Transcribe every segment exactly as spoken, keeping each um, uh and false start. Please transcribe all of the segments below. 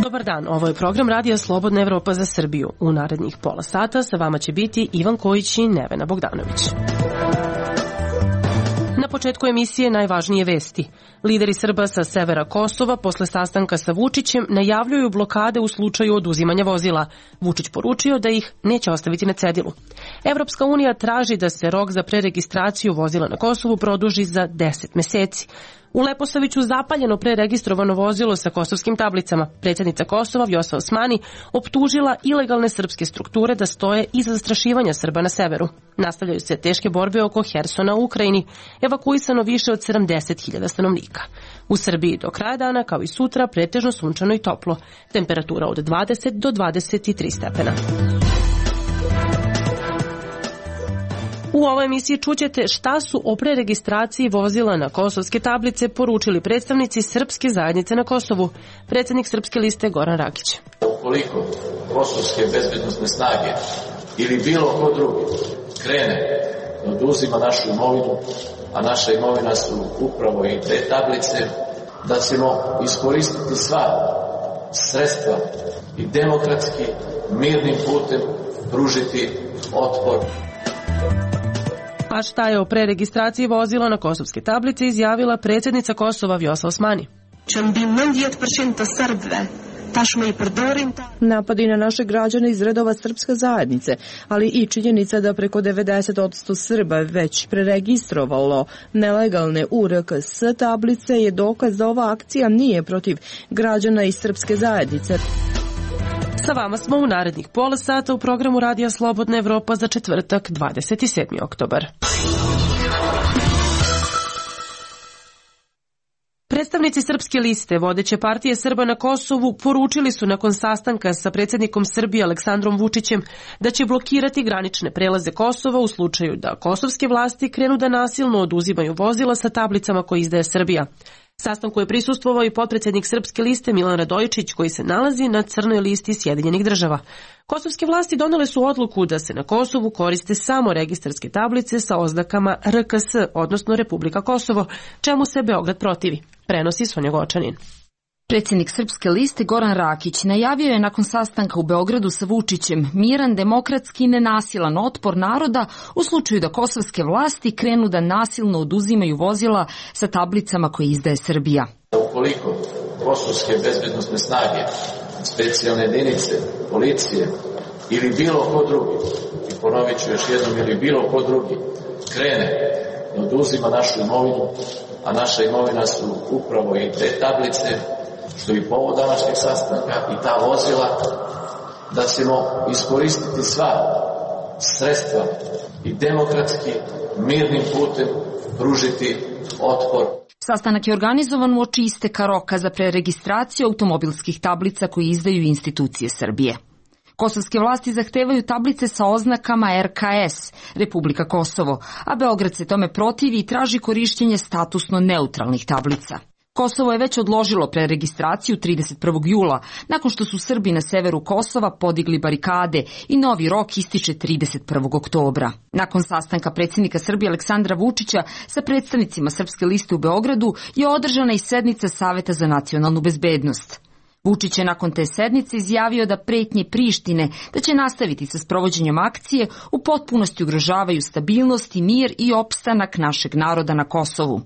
Dobar dan, ovo je program Radija Slobodna Evropa za Srbiju. U narednih pola sata sa vama će biti Ivan Kojić i Nevena Bogdanović. Na početku emisije najvažnije vesti. Lideri Srba sa severa Kosova posle sastanka sa Vučićem najavljuju blokade u slučaju oduzimanja vozila. Vučić poručio da ih neće ostaviti na cedilu. Evropska unija traži da se rok za preregistraciju vozila na Kosovu produži za deset meseci. U Leposaviću zapaljeno preregistrovano vozilo sa kosovskim tablicama. Predsjednica Kosova Vjosa Osmani optužila ilegalne srpske strukture da stoje iza zastrašivanja Srba na severu. Nastavljaju se teške borbe oko Hersona u Ukrajini, evakuisano više od sedamdeset hiljada stanovnika. U Srbiji do kraja dana, kao i sutra, pretežno sunčano i toplo. Temperatura od dvadeset do dvadeset tri stepena. U ovoj emisiji čućete šta su o preregistraciji vozila na kosovske tablice poručili predstavnici srpske zajednice na Kosovu. Predsjednik Srpske liste Goran Rakić. Ukoliko kosovske bezbednosne snage ili bilo ko drugi krene da oduzima našu imovinu, a naša imovina su upravo i te tablice, da ćemo iskoristiti sva sredstva i demokratski, mirnim putem pružiti otpor. A šta je o preregistraciji vozila na kosovske tablice izjavila predsjednica Kosova Vjosa Osmani. Napadi na naše građane iz redova srpske zajednice, ali i činjenica da preko devedeset posto Srba već preregistrovalo nelegalne U R K S tablice je dokaz da ova akcija nije protiv građana iz srpske zajednice. Sa vama smo u narednih pola sata u programu Radija Slobodna Evropa za četvrtak dvadeset sedmi oktobar. Predstavnici Srpske liste, vodeće partije Srba na Kosovu, poručili su nakon sastanka sa predsjednikom Srbije Aleksandrom Vučićem da će blokirati granične prelaze Kosova u slučaju da kosovske vlasti krenu da nasilno oduzimaju vozila sa tablicama koje izdaje Srbija. Sastanku je prisustvovao i potpredsjednik Srpske liste Milan Radojičić, koji se nalazi na crnoj listi Sjedinjenih država. Kosovske vlasti donele su odluku da se na Kosovu koriste samo registarske tablice sa oznakama R K S, odnosno Republika Kosovo, čemu se Beograd protivi. Prenosi Sonja Gočanin. Predsjednik Srpske liste Goran Rakić najavio je nakon sastanka u Beogradu sa Vučićem miran, demokratski i nenasilan otpor naroda u slučaju da kosovske vlasti krenu da nasilno oduzimaju vozila sa tablicama koje izdaje Srbija. Ukoliko kosovske bezbednosne snage, specijalne jedinice, policije ili bilo ko drugi, i ponovit ću još jednom, ili bilo ko drugi krene da oduzima našu imovinu, a naša imovina su upravo i te tablice, što je povod današnjeg sastanka i ta vozila, da ćemo iskoristiti sva sredstva i demokratski, mirnim putem pružiti otpor. Sastanak je organizovan uoči isteka roka za preregistraciju automobilskih tablica koje izdaju institucije Srbije. Kosovske vlasti zahtevaju tablice sa oznakama R K S, Republika Kosovo, a Beograd se tome protivi i traži korišćenje statusno neutralnih tablica. Kosovo je već odložilo preregistraciju trideset prvog jula, nakon što su Srbi na severu Kosova podigli barikade i novi rok ističe trideset prvog oktobra. Nakon sastanka predsjednika Srbije Aleksandra Vučića sa predstavnicima Srpske liste u Beogradu je održana i sednica Saveta za nacionalnu bezbednost. Vučić je nakon te sednice izjavio da pretnje Prištine da će nastaviti sa sprovođenjem akcije u potpunosti ugrožavaju stabilnost i mir i opstanak našeg naroda na Kosovu.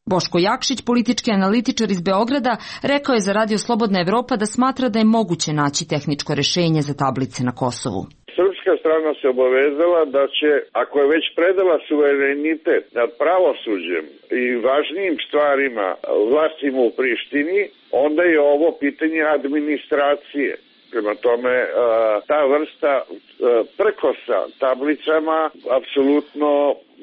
Boško Jakšić, politički analitičar iz Beograda, rekao je za Radio Slobodna Evropa da smatra da je moguće naći tehničko rešenje za tablice na Kosovu. Srpska strana se obavezala da će, ako je već predala suverenitet nad pravosuđem i važnijim stvarima vlastima u Prištini, onda je ovo pitanje administracije. Prema tome, ta vrsta prkosa tablicama apsolutno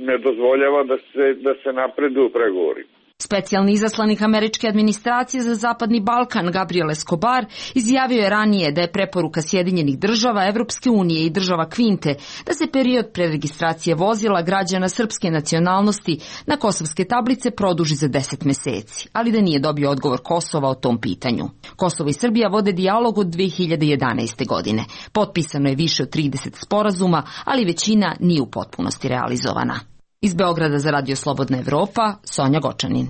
ne dozvoljava da se, da se napredu u pregovori. Specijalni izaslanik američke administracije za Zapadni Balkan Gabriel Escobar izjavio je ranije da je preporuka Sjedinjenih država, Evropske unije i država Kvinte da se period preregistracije vozila građana srpske nacionalnosti na kosovske tablice produži za deset meseci, ali da nije dobio odgovor Kosova o tom pitanju. Kosovo i Srbija vode dijalog od dve hiljade jedanaeste. godine. Potpisano je više od trideset sporazuma, ali većina nije u potpunosti realizovana. Iz Beograda za Radio Slobodna Evropa, Sonja Gočanin.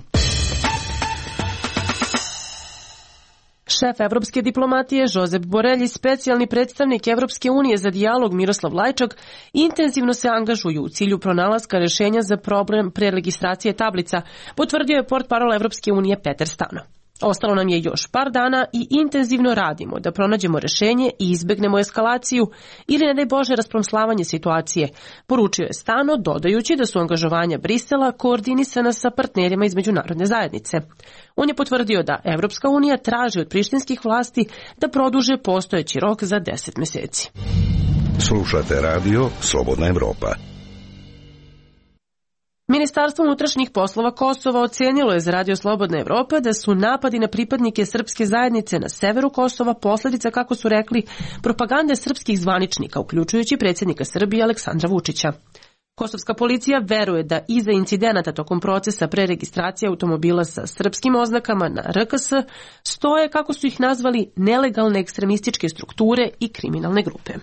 Šef evropske diplomatije Josep Borrell i specijalni predstavnik Evropske unije za dijalog Miroslav Lajčak intenzivno se angažuju u cilju pronalaska rješenja za problem preregistracije tablica, potvrdio je portparol Evropske unije Peter Stano. Ostalo nam je još par dana i intenzivno radimo da pronađemo rješenje i izbegnemo eskalaciju ili, ne daj Bože, raspromslavanje situacije, poručio je Stano, dodajući da su angažovanja Brisela koordinisana sa partnerima iz međunarodne zajednice. On je potvrdio da Evropska unija traži od prištinskih vlasti da produže postojeći rok za deset meseci. Slušate radio Slobodna Evropa. Ministarstvo unutrašnjih poslova Kosova ocenilo je za Radio Slobodna Evropa da su napadi na pripadnike srpske zajednice na severu Kosova posljedica, kako su rekli, propagande srpskih zvaničnika, uključujući predsjednika Srbije Aleksandra Vučića. Kosovska policija veruje da iza incidenata tokom procesa preregistracije automobila sa srpskim oznakama na R K S stoje, kako su ih nazvali, nelegalne ekstremističke strukture i kriminalne grupe.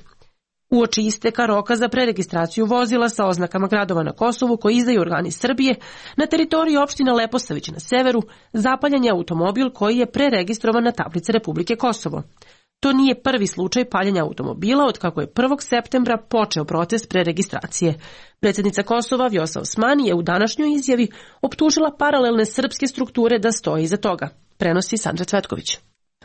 Uoči isteka roka za preregistraciju vozila sa oznakama gradova na Kosovu koji izdaju organi Srbije, na teritoriji opštine Leposavić na severu zapaljen je automobil koji je preregistrovan na tablice Republike Kosovo. To nije prvi slučaj paljenja automobila od kako je prvog septembra počeo proces preregistracije. Predsjednica Kosova Vjosa Osmani je u današnjoj izjavi optužila paralelne srpske strukture da stoji iza toga, prenosi Sandra Cvetković.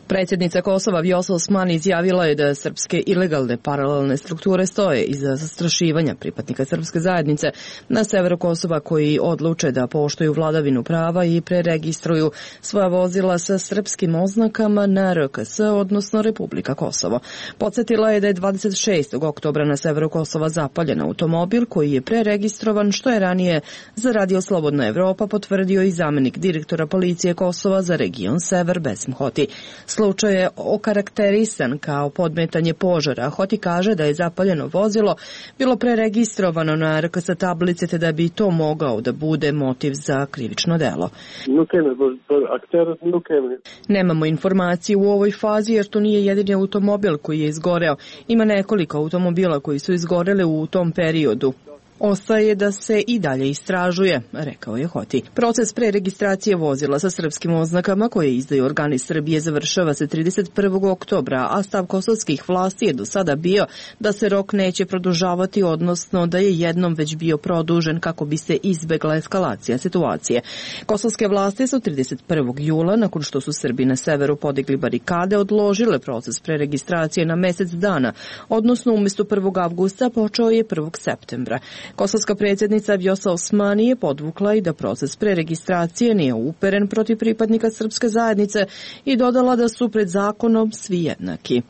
Predsjednica Kosova Vjosa Osmani izjavila je da srpske ilegalne paralelne strukture stoje iza zastrašivanja pripadnika srpske zajednice na severu Kosova koji odluče da poštuju vladavinu prava i preregistruju svoja vozila sa srpskim oznakama na R K S, odnosno Republika Kosovo. Podsjetila je da je dvadeset šestog oktobra na severu Kosova zapaljen automobil koji je preregistrovan, što je ranije za Radio Slobodna Evropa potvrdio i zamenik direktora policije Kosova za region Sever Besim Hoti. Slučaj je okarakterisan kao podmetanje požara. Hoti kaže da je zapaljeno vozilo bilo preregistrovano na R K S tablice te da bi to mogao da bude motiv za krivično delo. Nemamo informacije u ovoj fazi jer to nije jedini automobil koji je izgoreo. Ima nekoliko automobila koji su izgoreli u tom periodu. Ostaje da se i dalje istražuje, rekao je Hoti. Proces preregistracije vozila sa srpskim oznakama koje izdaju organi Srbije završava se trideset prvog oktobra, a stav kosovskih vlasti je do sada bio da se rok neće produžavati, odnosno da je jednom već bio produžen kako bi se izbegla eskalacija situacije. Kosovske vlasti su trideset prvog jula, nakon što su Srbi na severu podigli barikade, odložile proces preregistracije na mesec dana, odnosno umjesto prvog avgusta počeo je prvog septembra. Kosovska predsjednica Vjosa Osmani je podvukla i da proces preregistracije nije uperen protiv pripadnika srpske zajednice i dodala da su pred zakonom svi jednaki.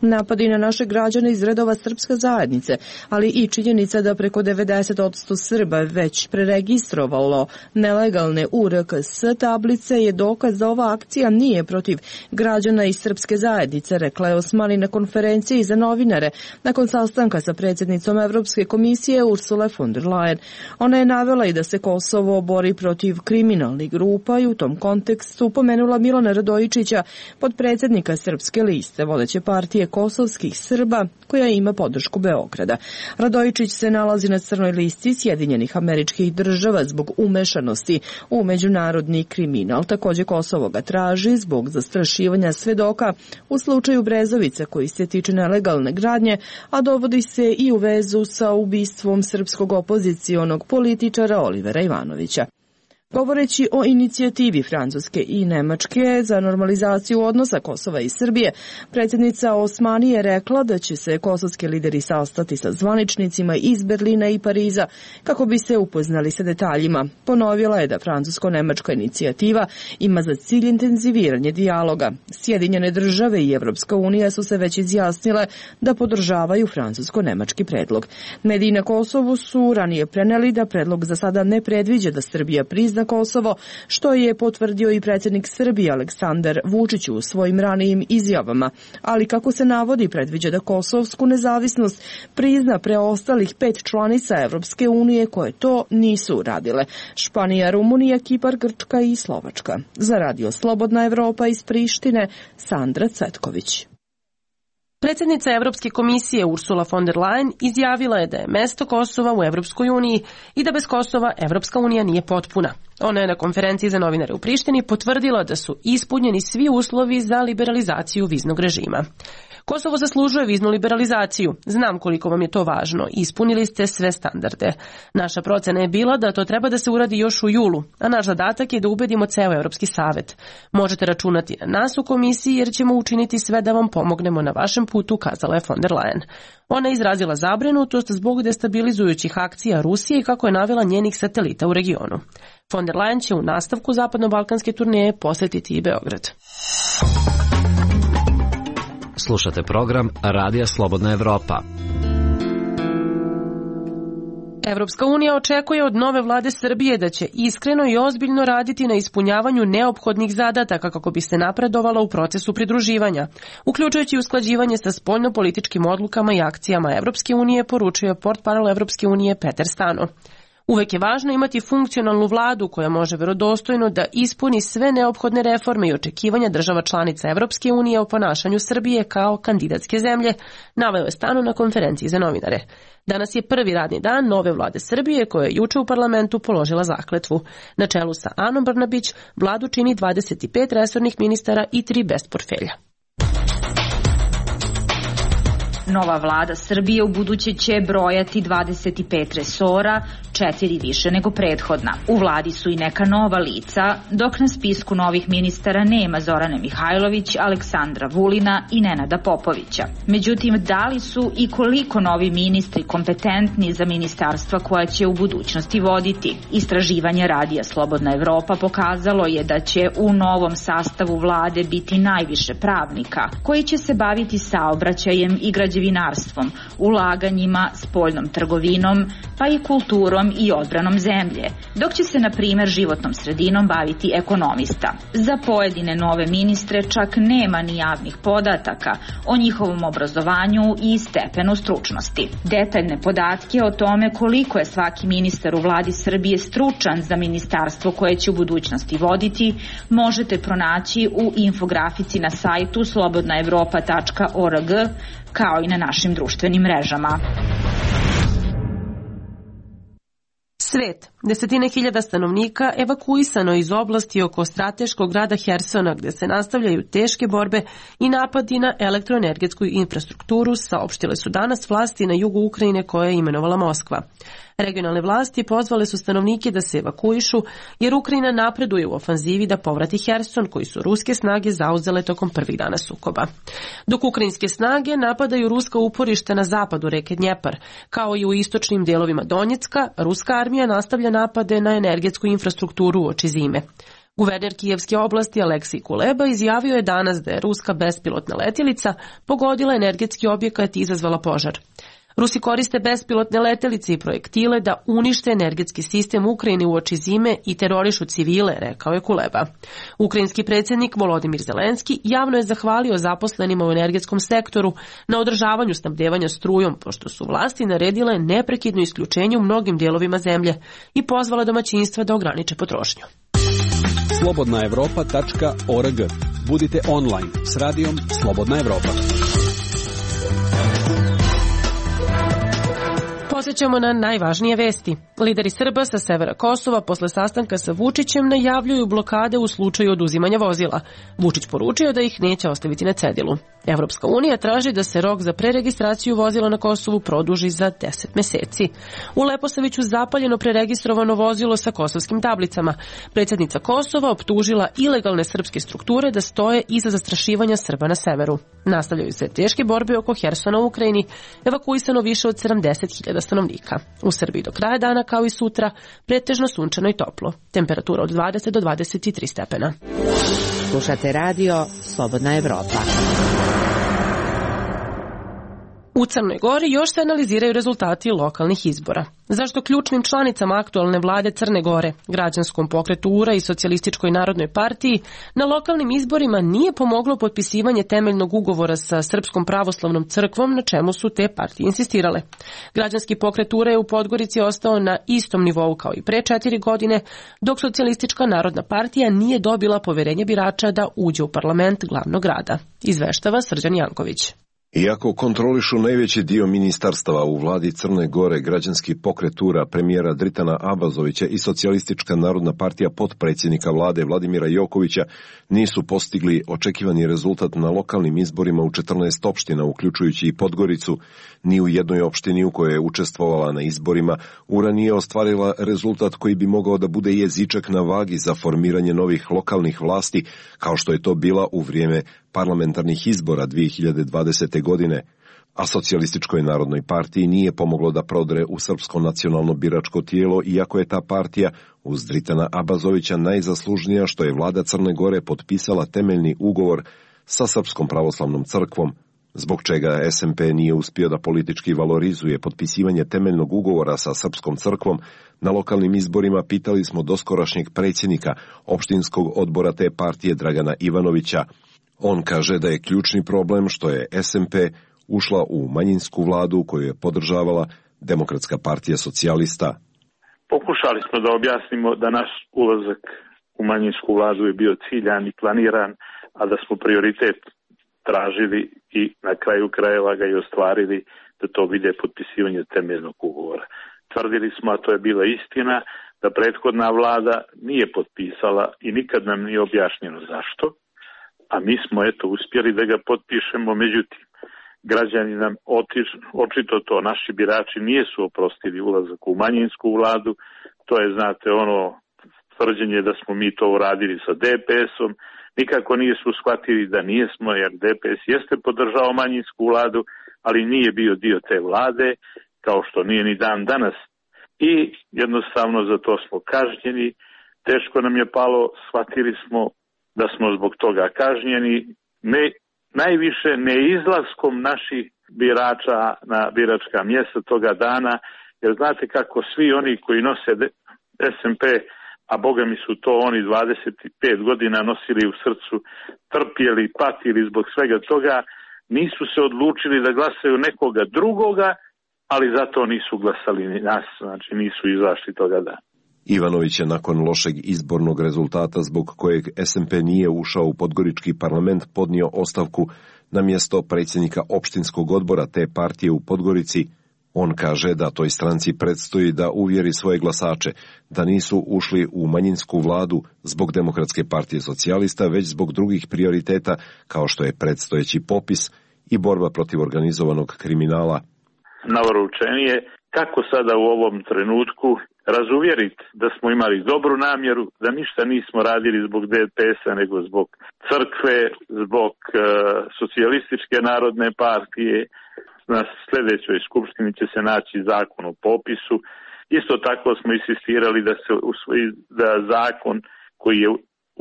Napadi na naše građane iz redova srpske zajednice, ali i činjenica da preko devedeset posto Srba već preregistrovalo nelegalne U R K S tablice je dokaz da ova akcija nije protiv građana iz srpske zajednice, rekla je Osmani na konferenciji za novinare nakon sastanka sa predsjednicom Evropske komisije Ursule von der Leyen. Ona je navela i da se Kosovo bori protiv kriminalnih grupa i u tom kontekstu pomenula Milana Radojičića, potpredsjednika srpske liste vodeće partije kosovskih Srba koja ima podršku Beograda. Radojičić se nalazi na crnoj listi Sjedinjenih Američkih Država zbog umešanosti u međunarodni kriminal. Također Kosovo ga traži zbog zastrašivanja svedoka u slučaju Brezovice koji se tiče nelegalne gradnje, a dovodi se i u vezu sa ubistvom srpskog opozicionog političara Olivera Ivanovića. Govoreći o inicijativi Francuske i Nemačke za normalizaciju odnosa Kosova i Srbije, predsjednica Osmani je rekla da će se kosovski lideri sastati sa zvaničnicima iz Berlina i Pariza kako bi se upoznali sa detaljima. Ponovila je da francusko-nemačka inicijativa ima za cilj intenziviranje dijaloga. Sjedinjene države i Evropska unija su se već izjasnile da podržavaju francusko-nemački predlog. Mediji na Kosovu su ranije preneli da predlog za sada ne predviđa da Srbija prizna Kosovo, što je potvrdio i predsjednik Srbije Aleksandar Vučić u svojim ranijim izjavama, ali kako se navodi predviđa da kosovsku nezavisnost prizna preostalih pet članica Evropske unije koje to nisu uradile: Španija, Rumunija, Kipar, Grčka i Slovačka. Za Radio Slobodna Evropa iz Prištine, Sandra Cvetković. Predsjednica Evropske komisije Ursula von der Leyen izjavila je da je mesto Kosova u Evropskoj uniji i da bez Kosova Evropska unija nije potpuna. Ona je na konferenciji za novinare u Prištini potvrdila da su ispunjeni svi uslovi za liberalizaciju viznog režima. Kosovo zaslužuje viznu liberalizaciju. Znam koliko vam je to važno. Ispunili ste sve standarde. Naša procena je bila da to treba da se uradi još u julu, a naš zadatak je da ubedimo ceo Evropski savet. Možete računati na nas u komisiji jer ćemo učiniti sve da vam pomognemo na vašem putu, kazala je von der Leyen. Ona je izrazila zabrinutost zbog destabilizujućih akcija Rusije i kako je navela njenih satelita u regionu. Von der Leyen će u nastavku zapadno-balkanske turneje posjetiti i Beograd. Slušate program Radija Slobodna Evropa. Evropska unija očekuje od nove vlade Srbije da će iskreno i ozbiljno raditi na ispunjavanju neophodnih zadataka kako bi se napredovala u procesu pridruživanja, uključujući usklađivanje sa spoljnopolitičkim odlukama i akcijama Evropske unije, poručio je portparol Evropske unije Peter Stano. Uvek je važno imati funkcionalnu vladu koja može verodostojno da ispuni sve neophodne reforme i očekivanja država članica Evropske unije o ponašanju Srbije kao kandidatske zemlje, naveo je Stano na konferenciji za novinare. Danas je prvi radni dan nove vlade Srbije koja je juče u parlamentu položila zakletvu. Na čelu sa Anom Brnabić vladu čini dvadeset pet resornih ministara i tri bez portfelja. Nova vlada Srbije u buduće će brojati dvadeset pet resora, četiri više nego prethodna. U vladi su i neka nova lica, dok na spisku novih ministara nema Zorane Mihajlović, Aleksandra Vulina i Nenada Popovića. Međutim, da li su i koliko novi ministri kompetentni za ministarstva koja će u budućnosti voditi? Istraživanje Radija Slobodna Evropa pokazalo je da će u novom sastavu vlade biti najviše pravnika, koji će se baviti saobraćajem i građevinarstvom, građevinarstvom, ulaganjima, spoljnom trgovinom, pa i kulturom i odbranom zemlje, dok će se, na primjer, životnom sredinom baviti ekonomista. Za pojedine nove ministre čak nema ni javnih podataka o njihovom obrazovanju i stepenu stručnosti. Detaljne podatke o tome koliko je svaki ministar u vladi Srbije stručan za ministarstvo koje će u budućnosti voditi možete pronaći u infografici na sajtu slobodna evropa tačka org, kao i na našim društvenim mrežama. Svet. Desetine hiljada stanovnika evakuisano iz oblasti oko strateškog grada Hersona, gde se nastavljaju teške borbe i napadi na elektroenergetsku infrastrukturu, saopštile su danas vlasti na jugu Ukrajine koje je imenovala Moskva. Regionalne vlasti pozvale su stanovnike da se evakuišu jer Ukrajina napreduje u ofanzivi da povrati Herson koji su ruske snage zauzele tokom prvih dana sukoba. Dok ukrajinske snage napadaju ruska uporišta na zapadu reke Dnjepar, kao i u istočnim delovima Donjecka, ruska armija nastavlja napade na energetsku infrastrukturu uoči zime. Guverner Kijevske oblasti Aleksij Kuleba izjavio je danas da je ruska bespilotna letjelica pogodila energetski objekat i izazvala požar. Rusi koriste bespilotne letelice i projektile da unište energetski sistem Ukrajine uoči zime i terorišu civile, rekao je Kuleba. Ukrajinski predsjednik Volodimir Zelenski javno je zahvalio zaposlenima u energetskom sektoru na održavanju snabdevanja strujom, pošto su vlasti naredile neprekidno isključenje u mnogim dijelovima zemlje i pozvala domaćinstva da ograniče potrošnju. slobodna evropa tačka org. Budite online s radijom Slobodna Evropa. Posjećamo na najvažnije vesti. Lideri Srba sa severa Kosova posle sastanka sa Vučićem najavljuju blokade u slučaju oduzimanja vozila. Vučić poručio da ih neće ostaviti na cedilu. Evropska unija traži da se rok za preregistraciju vozila na Kosovu produži za deset meseci. U Leposaviću zapaljeno preregistrovano vozilo sa kosovskim tablicama. Predsjednica Kosova optužila ilegalne srpske strukture da stoje iza zastrašivanja Srba na severu. Nastavljaju se teške borbe oko Hersona u Ukrajini, evakuisano više od sedamdeset hiljada stanovnika. U Srbiji do kraja dana, kao i sutra, pretežno sunčano i toplo. Temperatura od dvadeset do dvadeset tri stepena. Slušate radio Slobodna Evropa. U Crnoj Gori još se analiziraju rezultati lokalnih izbora. Zašto ključnim članicama aktualne vlade Crne Gore, građanskom pokretu U R A i Socijalističkoj narodnoj partiji, na lokalnim izborima nije pomoglo potpisivanje temeljnog ugovora sa Srpskom pravoslavnom crkvom, na čemu su te partije insistirale. Građanski pokret U R A je u Podgorici ostao na istom nivou kao i pre četiri godine, dok Socijalistička narodna partija nije dobila poverenje birača da uđe u parlament glavnog grada. Izveštava Srđan Janković. Iako kontrolišu najveći dio ministarstava u vladi Crne Gore, građanski pokret U R A, premijera Dritana Abazovića i Socijalistička narodna partija potpredsjednika vlade Vladimira Jokovića nisu postigli očekivani rezultat na lokalnim izborima u četrnaest opština, uključujući i Podgoricu, ni u jednoj opštini u kojoj je učestvovala na izborima, U R A nije ostvarila rezultat koji bi mogao da bude jezičak na vagi za formiranje novih lokalnih vlasti, kao što je to bila u vrijeme parlamentarnih izbora dvije hiljade dvadesete. godine, a Socijalističkoj narodnoj partiji nije pomoglo da prodre u srpsko nacionalno biračko tijelo, iako je ta partija uz Dritana Abazovića najzaslužnija što je vlada Crne Gore potpisala temeljni ugovor sa Srpskom pravoslavnom crkvom, zbog čega S M P nije uspio da politički valorizuje potpisivanje temeljnog ugovora sa Srpskom crkvom. Na lokalnim izborima pitali smo doskorašnjeg predsjednika opštinskog odbora te partije Dragana Ivanovića. On kaže da je ključni problem što je S M P ušla u manjinsku vladu koju je podržavala Demokratska partija socijalista. Pokušali smo da objasnimo da naš ulazak u manjinsku vladu je bio ciljan i planiran, a da smo prioritet tražili i na kraju krajeva ga i ostvarili, da to bude potpisivanje temeljnog ugovora. Tvrdili smo, a to je bila istina, da prethodna vlada nije potpisala i nikad nam nije objašnjeno zašto. A mi smo eto uspjeli da ga potpišemo, međutim, građani nam otiš, očito to, naši birači nijesu oprostili ulazak u manjinsku vladu, to je, znate, ono tvrđenje da smo mi to uradili sa D P S-om, nikako nisu shvatili da nijesmo, jer D P S jeste podržao manjinsku vladu, ali nije bio dio te vlade, kao što nije ni dan danas. I jednostavno za to smo kažnjeni, teško nam je palo, shvatili smo da smo zbog toga kažnjeni, ne, najviše neizlaskom naših birača na biračka mjesta toga dana, jer znate kako svi oni koji nose S M P, a boga mi su to oni dvadeset pet godina nosili u srcu, trpjeli, patili zbog svega toga, nisu se odlučili da glasaju nekoga drugoga, ali zato nisu glasali ni nas, znači nisu izašli toga dana. Ivanović je nakon lošeg izbornog rezultata zbog kojeg S M P nije ušao u podgorički parlament podnio ostavku na mjesto predsjednika opštinskog odbora te partije u Podgorici. On kaže da toj stranci predstoji da uvjeri svoje glasače da nisu ušli u manjinsku vladu zbog Demokratske partije socijalista, već zbog drugih prioriteta kao što je predstojeći popis i borba protiv organizovanog kriminala. Naoručenije kako sada u ovom trenutku razuvjeriti da smo imali dobru namjeru, da ništa nismo radili zbog D P S-a, nego zbog crkve, zbog uh, Socijalističke narodne partije. Na sljedećoj skupštini će se naći zakon o popisu. Isto tako smo insistirali da se usvoji da zakon koji je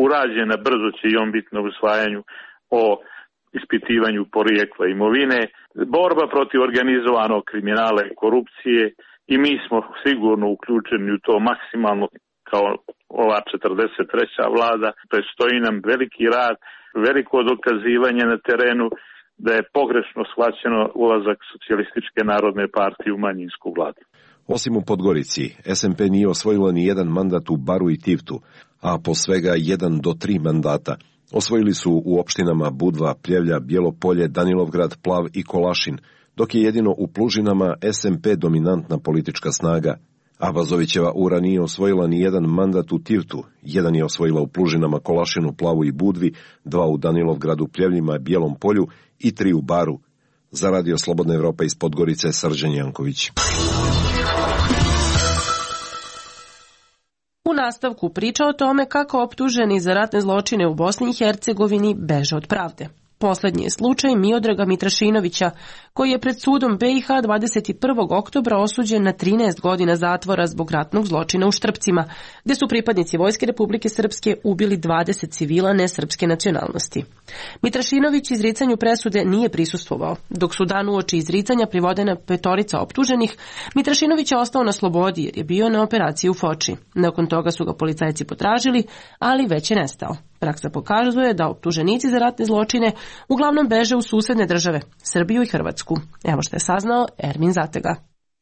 urađen, a brzo će i on biti na usvajanju, o ispitivanju porijekla imovine, borba protiv organizovanog kriminala i korupcije, i mi smo sigurno uključeni u to maksimalno kao ova četrdeset treća vlada. Predstoji nam veliki rad, veliko dokazivanje na terenu da je pogrešno shvaćeno ulazak Socijalističke narodne partije u manjinsku vladu. Osim u Podgorici, S M P nije osvojila ni jedan mandat u Baru i Tivtu, a po svega jedan do tri mandata. Osvojili su u opštinama Budva, Pljevlja, Bijelo Polje, Danilovgrad, Plav i Kolašin, dok je jedino u Plužinama S M P dominantna politička snaga. Abazovićeva ura nije osvojila ni jedan mandat u Tirtu, jedan je osvojila u Plužinama, Kolašinu, Plavu i Budvi, dva u Danilovgradu, Pljevljima, Bijelom polju i tri u Baru. Za Radio Slobodna Evropa iz Podgorice, Srđan Janković. U nastavku priča o tome kako optuženi za ratne zločine u Bosni i Hercegovini beže od pravde. Poslednji je slučaj Miodraga Mitrašinovića, koji je pred sudom B i H dvadeset prvog oktobra osuđen na trinaest godina zatvora zbog ratnog zločina u Štrpcima, gde su pripadnici Vojske Republike Srpske ubili dvadeset civila nesrpske nacionalnosti. Mitrašinović izricanju presude nije prisustvovao. Dok su dan uoči izricanja privodena petorica optuženih, Mitrašinović je ostao na slobodi jer je bio na operaciji u Foči. Nakon toga su ga policajci potražili, ali već je nestao. Praksa pokazuje da optuženici za ratne zločine uglavnom beže u susedne države, Srbiju i Hrvatsku. Evo što je saznao Ermin Zatega.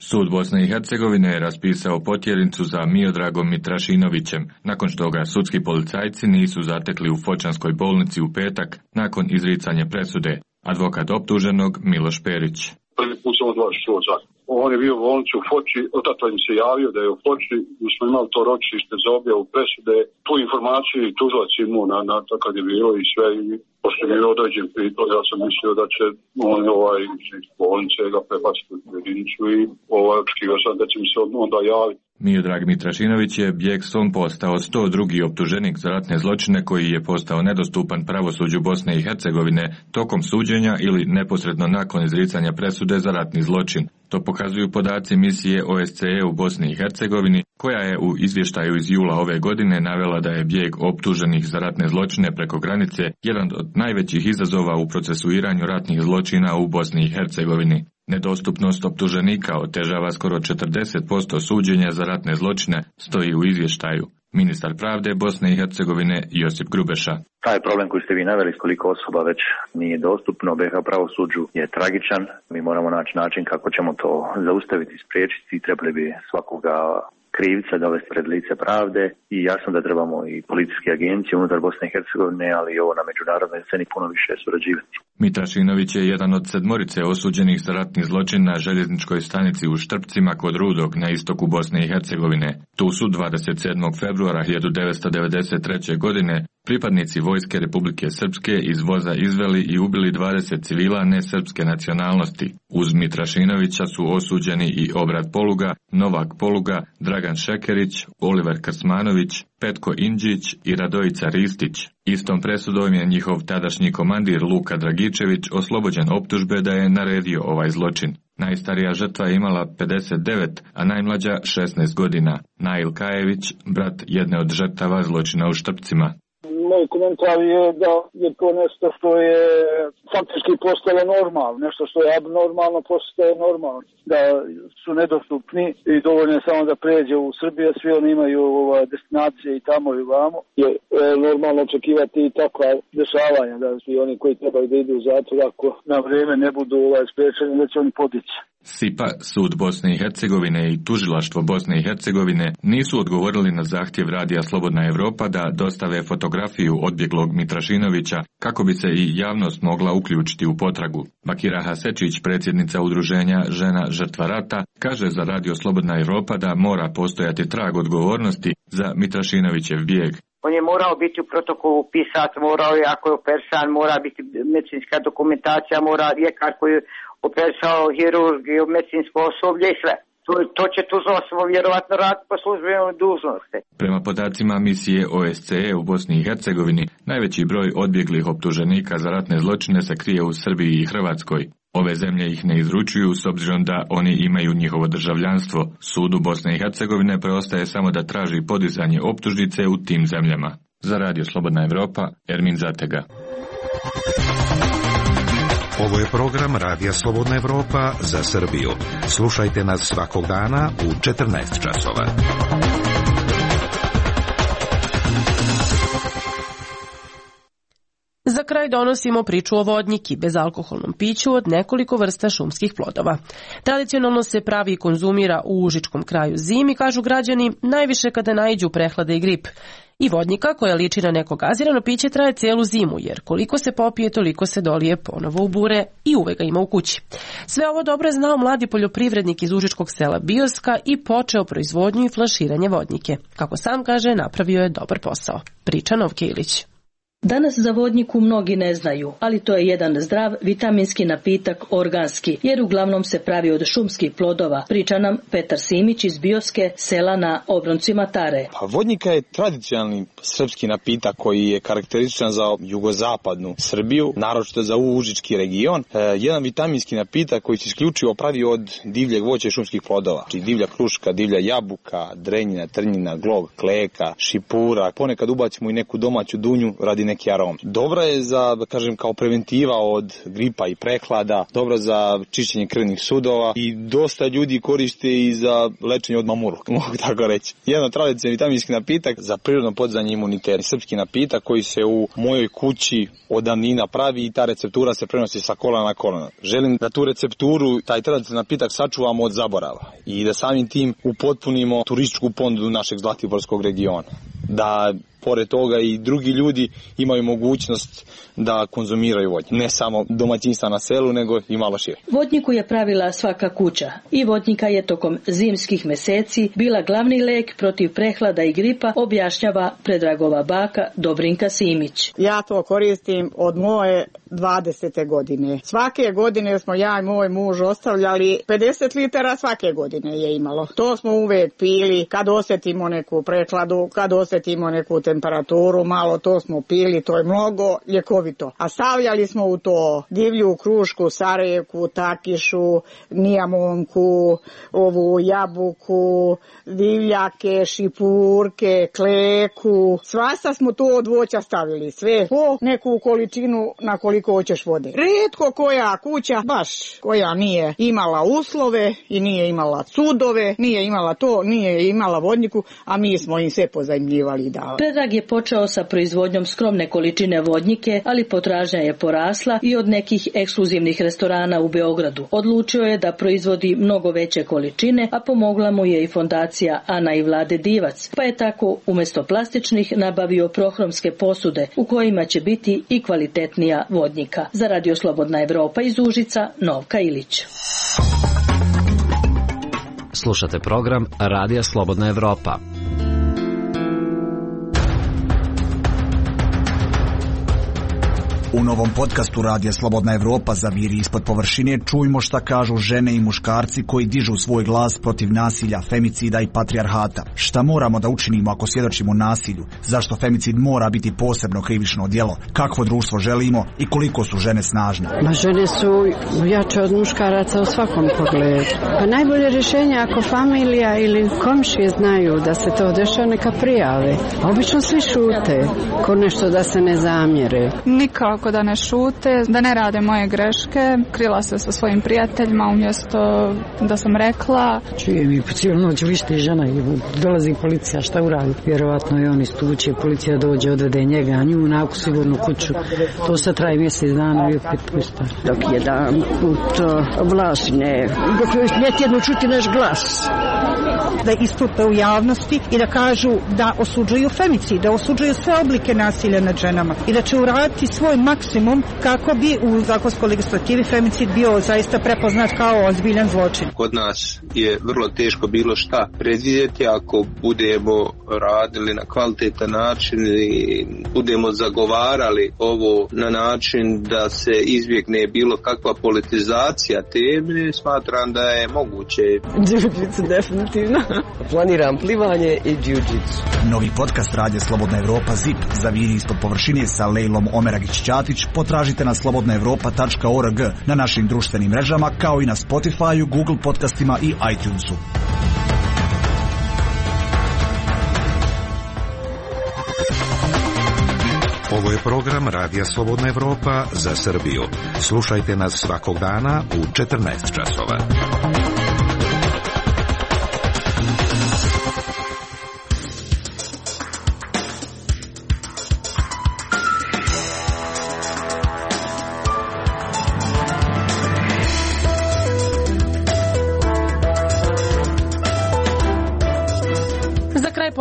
Sud Bosne i Hercegovine je raspisao potjernicu za Miodragom Mitrašinovićem, nakon što ga sudski policajci nisu zatekli u Fočanskoj bolnici u petak nakon izricanja presude. Advokat optuženog Miloš Perić. Prvi put sam od vas čuo za. On je bio u bolnici u Foči, otato im se javio da je u Foči, mi smo imali to ročište za objavu presude, tu informaciju i tužilac imao na, na to kad je bilo i sve, i pošto je bilo određen pritvor, ja sam mislio da će on ovaj iz bolnice ga prebaciti u jedinicu i ovaj očekivao sam da će mi se onda javiti. Miodrag Mitrašinović je bijegstvom postao sto drugi optuženik za ratne zločine koji je postao nedostupan pravosuđu Bosne i Hercegovine tokom suđenja ili neposredno nakon izricanja presude za ratni zločin. To pokazuju podaci misije O S C E u Bosni i Hercegovini, koja je u izvještaju iz jula ove godine navela da je bijeg optuženih za ratne zločine preko granice jedan od najvećih izazova u procesuiranju ratnih zločina u Bosni i Hercegovini. Nedostupnost optuženika otežava skoro četrdeset posto suđenja za ratne zločine, stoji u izvještaju. Ministar pravde Bosne i Hercegovine Josip Grubeša. Taj problem koji ste vi naveli, koliko osoba već nije dostupno B H pravosuđu, je tragičan. Mi moramo naći način kako ćemo to zaustaviti, spriječiti i trebali bi svakoga krivca dovesti pred lice pravde i jasno da trebamo i policijske agencije unutar Bosne i Hercegovine, ali i ovo na međunarodnoj sceni puno više surađivati. Mitrašinović je jedan od sedmorice osuđenih za ratni zločin na željezničkoj stanici u Štrpcima kod Rudog na istoku Bosne i Hercegovine. Tu su dvadeset sedmog februara hiljadu devetsto devedeset treće. godine pripadnici Vojske Republike Srpske iz voza izveli i ubili dvadeset civila nesrpske nacionalnosti. Uz Mitrašinovića su osuđeni i Obrad Poluga, Novak Poluga, Dragan Šekerić, Oliver Krsmanović, Petko Indžić i Radojica Ristić. Istom presudom je njihov tadašnji komandir Luka Dragičević oslobođen optužbe da je naredio ovaj zločin. Najstarija žrtva je imala pedeset devet, a najmlađa šesnaest godina. Nail Kajević, brat jedne od žrtava zločina u Štrpcima. Moj komentar je da je to nešto što je faktički postalo normalno, nešto što je abnormalno postaje normalno, da su nedostupni i dovoljno je samo da pređe u Srbiju, svi oni imaju ovaj, destinacije i tamo i vamo. Je e, normalno očekivati i takva dešavanja, da svi oni koji trebaju da idu u zatvor, ako na vrijeme ne budu ovaj, spriječeni, da će oni podići. S I P A, Sud Bosne i Hercegovine i Tužilaštvo Bosne i Hercegovine nisu odgovorili na zahtjev Radija Slobodna Evropa da dostave fotografiju odbjeglog Mitrašinovića kako bi se i javnost mogla uključiti u potragu. Bakira Hasečić, predsjednica udruženja Žena žrtva rata, kaže za Radio Slobodna Evropa da mora postojati trag odgovornosti za Mitrašinovićev bijeg. On je morao biti u protokolu pisat, morao je, ako je opersan, mora biti medicinska dokumentacija, mora ljekar koji je opersao, hirurg i medicinsko osoblje i sve. To, to će tužilaštvo vjerovatno raditi po službenoj dužnosti. Prema podacima misije O S C E u Bosni i Hercegovini, najveći broj odbjeglih optuženika za ratne zločine se krije u Srbiji i Hrvatskoj. Ove zemlje ih ne izručuju s obzirom da oni imaju njihovo državljanstvo. Sudu Bosne i Hercegovine preostaje samo da traži podizanje optužnice u tim zemljama. Za Radio Slobodna Evropa, Ermin Zatega. Ovo je program Radija Slobodna Evropa za Srbiju. Slušajte nas svakog dana u četrnaest časova. Za kraj donosimo priču o vodnjiki, bezalkoholnom piću od nekoliko vrsta šumskih plodova. Tradicionalno se pravi i konzumira u užičkom kraju zimi, kažu građani, najviše kada naiđu prehlade i grip. I vodnika koja liči na neko gazirano piće traje cijelu zimu, jer koliko se popije, toliko se dolije ponovo u bure i uvek ga ima u kući. Sve ovo dobro je znao mladi poljoprivrednik iz užičkog sela Bioska i počeo proizvodnju i flaširanje vodnike. Kako sam kaže, napravio je dobar posao. Priča Novke Ilić. Danas za vodniku mnogi ne znaju, ali to je jedan zdrav vitaminski napitak organski, jer uglavnom se pravi od šumskih plodova, priča nam Petar Simić iz Bioske, sela na obroncima Tare. Pa vodnika je tradicionalni srpski napitak koji je karakterističan za jugozapadnu Srbiju, naročito za užički region. E, jedan vitaminski napitak koji se isključivo pravi od divljeg voća i šumskih plodova. Znači divlja kruška, divlja jabuka, drenjina, trnjina, glog, kleka, šipura. Ponekad ubacimo i neku domaću dunju radi neki arom. Dobra je za, kažem, kao preventiva od gripa i prehlada, dobra za čišćenje krvnih sudova i dosta ljudi koriste i za lečenje od mamurluka, mogu tako reći. Jedan tradicionalni vitaminski napitak za prirodno podizanje imuniteta. Srpski napitak koji se u mojoj kući od davnina pravi i ta receptura se prenosi sa kolana na kolana. Želim da tu recepturu, taj tradicionalni napitak sačuvamo od zaborava i da samim tim upotpunimo turističku ponudu našeg Zlatiborskog regiona. Da pored toga i drugi ljudi imaju mogućnost da konzumiraju vodnjak. Ne samo domaćinstva na selu, nego i malo šire. Vodniku je pravila svaka kuća i vodnika je tokom zimskih meseci bila glavni lek protiv prehlada i gripa, objašnjava Predragova baka Dobrinka Simić. Ja to koristim od moje dvadesete godine. Svake godine smo ja i moj muž ostavljali pedeset litara, svake godine je imalo. To smo uvek pili kad osjetimo neku prehladu, kad osjetimo neku temperaturu, malo to smo pili, to je mnogo ljekovito. A stavljali smo u to divlju krušku, sareku, takišu, nijamonku, ovu jabuku, divljake, šipurke, kleku. Svasta smo to od voća stavili, sve po neku količinu na koliko hoćeš vode. Rijetko koja kuća, baš koja nije imala uslove i nije imala sudove, nije imala to, nije imala vodniku, a mi smo im sve pozajmljivali i davali. Predrag je počeo sa proizvodnjom skromne količine vodnike, ali potražnja je porasla i od nekih ekskluzivnih restorana u Beogradu. Odlučio je da proizvodi mnogo veće količine, a pomogla mu je i fondacija Ana i Vlade Divac, pa je tako umjesto plastičnih nabavio prohromske posude u kojima će biti i kvalitetnija vodnika. Za Radio Slobodna Evropa iz Užica, Novka Ilić. Slušate program Radija Slobodna Evropa. U novom podcastu Radija Slobodna Evropa Zaviri ispod površine čujmo šta kažu žene i muškarci koji dižu svoj glas protiv nasilja, femicida i patrijarhata. Šta moramo da učinimo ako svjedočimo nasilju? Zašto femicid mora biti posebno krivično djelo? Kakvo društvo želimo i koliko su žene snažne? Ma žene su jače od muškaraca u svakom pogledu. Pa najbolje rješenje ako familija ili komšije znaju da se to dešava, neka prijave. Obično svi šute, ko nešto da se ne zamjere. Nikako da ne šute, da ne rade moje greške. Krila se sa svojim prijateljima umjesto da sam rekla. Čujem i po cijelu noć vište žena i dolazi policija, šta uradi? Vjerovatno i on istuče, policija dođe, odvede njega, a nju naku sigurnu kuću. To sad traje mjesec dana i opet pusta. Dok jedan put vlast ne, ne tjedno čuti naš glas. Da istupe u javnosti i da kažu da osuđuju femicid, da osuđuju sve oblike nasilja nad ženama i da će uraditi svoj maksimum kako bi u zakonskoj legislativi femicid bio zaista prepoznat kao ozbiljan zločin. Kod nas je vrlo teško bilo šta predvidjeti ako budemo radili na kvalitetan način i budemo zagovarali ovo na način da se izbjegne bilo kakva politizacija teme, smatram da je moguće. Jiu-jitsu definitivno. Planiram plivanje i jiu-jitsu. Novi podcast Radija Slobodna Evropa ZIP Zaviri ispod površine sa Lejlom Omeragić-Ćatić potražite na slobodna evropa tačka org na našim društvenim mrežama kao i na Spotify, Google podcastima i iTunesu. Ovo je program Radija Slobodna Evropa za Srbiju. Slušajte nas svakog dana u četrnaest časova.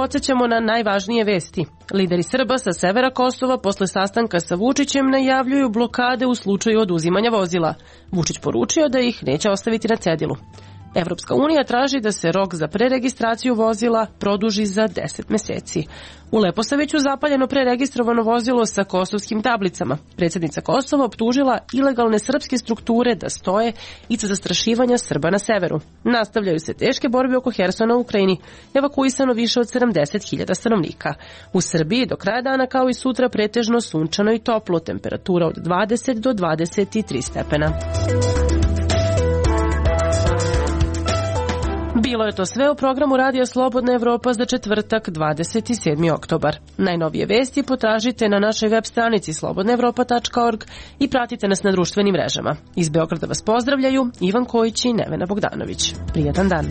podsjećamo na najvažnije vesti. Lideri Srba sa severa Kosova posle sastanka sa Vučićem najavljuju blokade u slučaju oduzimanja vozila. Vučić poručio da ih neće ostaviti na cedilu. Evropska unija traži da se rok za preregistraciju vozila produži za deset meseci. U Leposaviću zapaljeno preregistrovano vozilo sa kosovskim tablicama. Predsjednica Kosova optužila ilegalne srpske strukture da stoje iza zastrašivanja Srba na severu. Nastavljaju se teške borbe oko Hersona u Ukrajini. Evakuisano više od sedamdeset hiljada stanovnika. U Srbiji do kraja dana kao i sutra pretežno sunčano i toplo, temperatura od dvadeset do dvadeset tri stepena. Bilo je to sve u programu Radija Slobodna Evropa za četvrtak dvadeset sedmi oktobar. Najnovije vesti potražite na našoj web stranici slobodna evropa tačka org i pratite nas na društvenim mrežama. Iz Beograda vas pozdravljaju Ivan Kojić i Nevena Bogdanović. Prijatan dan.